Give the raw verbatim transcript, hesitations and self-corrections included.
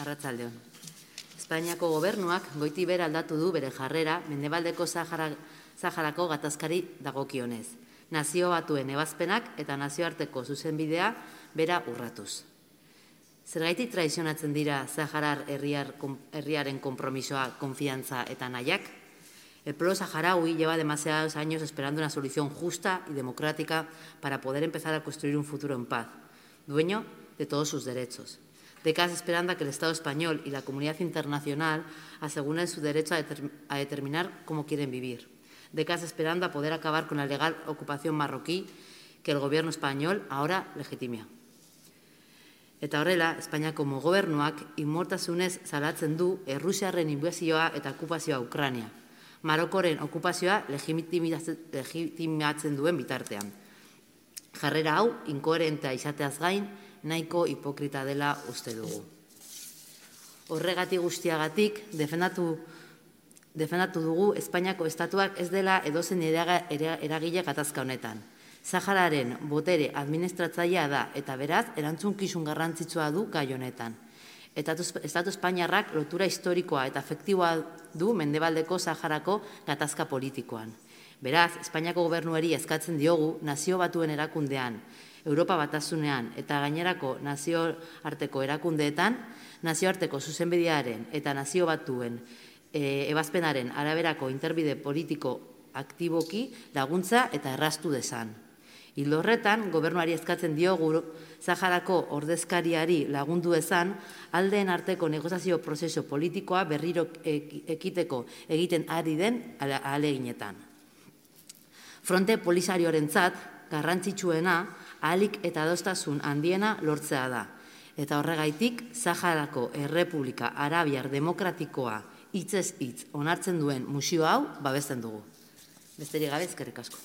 Arratsaldeon. Espainiako gobernuak goiti bera aldatu du bere jarrera Mendebaldeko Saharako gatazkari dagokionez. Nazio batuen ebazpenak eta nazioarteko zuzenbidea bera urratuz. Zergaitik traizionatzen dira Saharar herriaren konpromisoa, konfiantza eta nahiak? El pueblo saharaui lleva demasiados años esperando una solución justa y democrática para poder empezar a construir un futuro en paz, dueño de todos sus derechos. Décadas esperando a que el Estado español y la comunidad internacional aseguren su derecho a, determ a determinar cómo quieren vivir. Décadas esperando a poder acabar con la legal ocupación marroquí que el gobierno español ahora legitima. Eta horrela, Espainiako gobernuak inmortasunez salatzen du Errusiarren inbazioa eta okupazioa Ukraina. Marokoren okupazioa legitimatzen duen bitartean. Jarrera hau, inkoherentea izateaz gain, nahiko hipokrita dela uste dugu. Horregatik guztiagatik, defendatu, defendatu dugu Espainiako estatuak ez dela edozen eragile gatazka honetan. Sahararen botere administratzailea da eta beraz erantzunkizun garrantzitsua du gai honetan. Estatu Espainiarrak lotura historikoa eta afektiboa du Mendebaldeko Saharako gatazka politikoan. Beraz, Espainiako gobernuari eskatzen diogu nazio batuen erakundean, Europa batasunean eta gainerako nazioarteko erakundeetan, nazioarteko zuzenbidearen eta nazio batuen e, ebazpenaren araberako interbide politiko aktiboki laguntza eta erraztu dezan. Ildo horretan, gobernuari eskatzen diogu Saharako ordezkariari lagundu ezan, aldeen arteko negoziazio prozesu politikoa berriro ekiteko egiten ari den ahaleginetan. Fronte polisarioarentzat garrantzitsuena ahalik eta adostasun handiena lortzea da. Eta horregaitik, Saharako Errepublika Arabiar Demokratikoa hitzez hitz onartzen duen musio hau babesten dugu. Besterik gabe, eskerrik asko.